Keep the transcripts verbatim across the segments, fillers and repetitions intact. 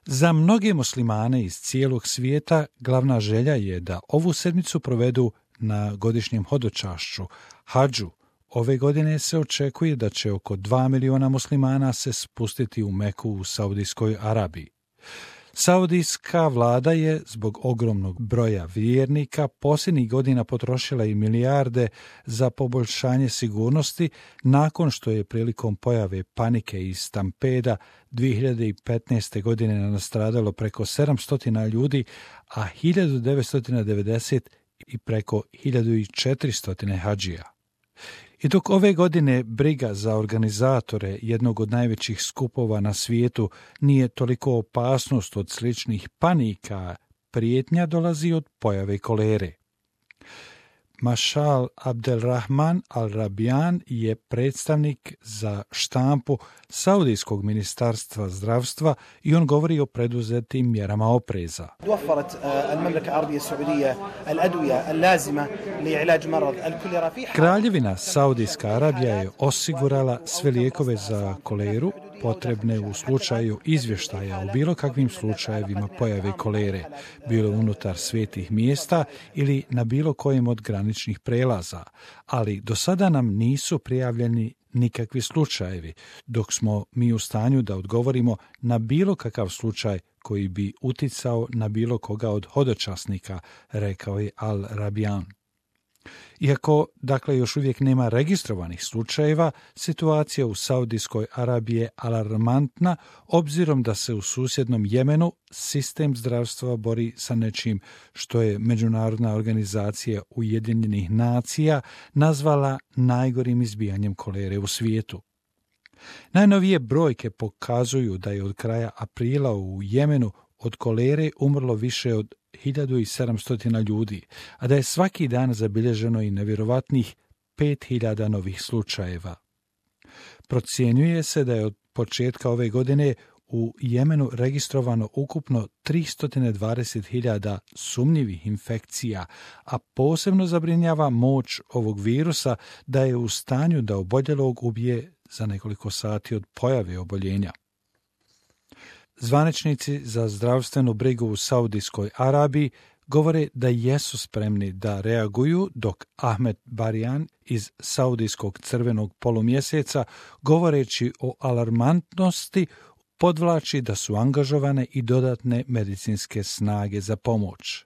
Za mnoge muslimane iz cijelog svijeta glavna želja je da ovu sedmicu provedu na godišnjem hodočašću, hadžu. Ove godine se očekuje da će oko dva miliona muslimana se spustiti u Meku u Saudijskoj Arabiji. Saudijska vlada je zbog ogromnog broja vjernika posljednjih godina potrošila i milijarde za poboljšanje sigurnosti nakon što je prilikom pojave panike i stampeda dvije hiljade petnaeste. godine nastradalo preko sedamsto ljudi, a hiljadu devetsto devedeset i preko hiljadu četiristo hadžija. I dok ove godine briga za organizatore jednog od najvećih skupova na svijetu nije toliko opasnost od sličnih panika, prijetnja dolazi od pojave kolere. Mašal Abdelrahman Al-Rabian je predstavnik za štampu Saudijskog ministarstva zdravstva i on govori o preduzetim mjerama opreza. Kraljevina Saudijska Arabija je osigurala sve lijekove za koleru potrebne u slučaju izvještaja o bilo kakvim slučajevima pojave kolere, bilo unutar svetih mjesta ili na bilo kojem od graničnih prelaza, ali do sada nam nisu prijavljeni nikakvi slučajevi, dok smo mi u stanju da odgovorimo na bilo kakav slučaj koji bi uticao na bilo koga od hodočasnika, rekao je Al-Rabian. Iako, dakle, još uvijek nema registrovanih slučajeva, situacija u Saudijskoj Arabiji je alarmantna, obzirom da se u susjednom Jemenu sistem zdravstva bori sa nečim što je Međunarodna organizacija Ujedinjenih nacija nazvala najgorim izbijanjem kolere u svijetu. Najnovije brojke pokazuju da je od kraja aprila u Jemenu od kolere umrlo više od hiljadu sedamsto ljudi, a da je svaki dan zabilježeno i nevjerovatnih pet hiljada novih slučajeva. Procjenjuje se da je od početka ove godine u Jemenu registrovano ukupno tristo dvadeset hiljada sumnjivih infekcija, a posebno zabrinjava moć ovog virusa da je u stanju da oboljelog ubije za nekoliko sati od pojave oboljenja. Zvaničnici za zdravstvenu brigu u Saudijskoj Arabiji govore da jesu spremni da reaguju, dok Ahmed Barian iz Saudijskog crvenog polumjeseca, govoreći o alarmantnosti, podvlači da su angažovane i dodatne medicinske snage za pomoć.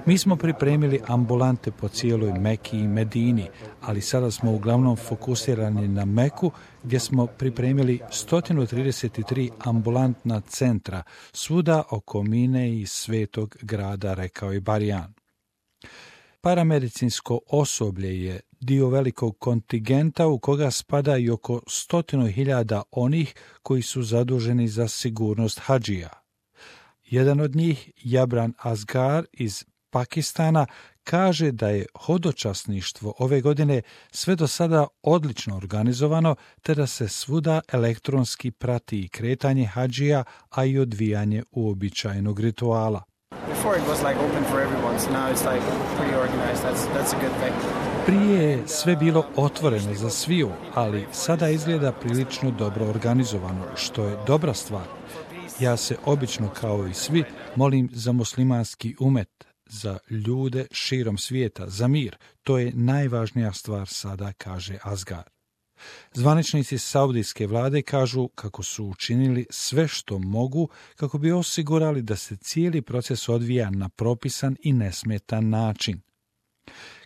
Mi smo pripremili ambulante po cijeloj Meki i Medini, ali sada smo uglavnom fokusirani na Meku, gdje smo pripremili sto trideset tri ambulantna centra, svuda oko Mine i Svetog grada, rekao je Barian. Paramedicinsko osoblje je dio velikog kontingenta u koga spada i oko stotinu hiljada onih koji su zaduženi za sigurnost hadžija. Jedan od njih, Jabran Asgar iz Pakistana, kaže da je hodočasništvo ove godine sve do sada odlično organizovano, te da se svuda elektronski prati i kretanje hadžija, a i odvijanje uobičajenog rituala. Prije je sve bilo otvoreno za sviju, ali sada izgleda prilično dobro organizovano, što je dobra stvar. Ja se obično, kao i svi, molim za muslimanski umet, za ljude širom svijeta, za mir. To je najvažnija stvar sada, kaže Asgar. Zvaničnici saudijske vlade kažu kako su učinili sve što mogu kako bi osigurali da se cijeli proces odvija na propisan i nesmetan način.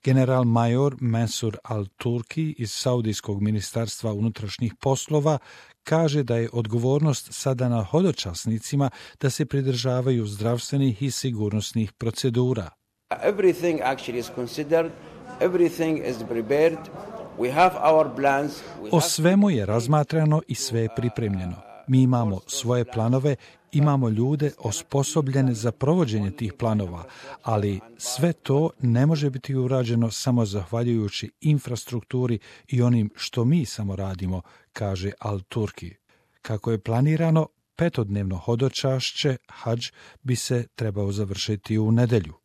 General major Mansur al-Turki iz Saudijskog ministarstva unutrašnjih poslova kaže da je odgovornost sada na hodočasnicima da se pridržavaju zdravstvenih i sigurnosnih procedura. Everything actually is considered, everything is prepared. We have our plans. We o svemu je razmatrano i sve je pripremljeno. Mi imamo svoje planove, imamo ljude osposobljene za provođenje tih planova, ali sve to ne može biti urađeno samo zahvaljujući infrastrukturi i onim što mi samo radimo, kaže Al-Turki. Kako je planirano, petodnevno hodočašće, hadž, bi se trebao završiti u nedjelju.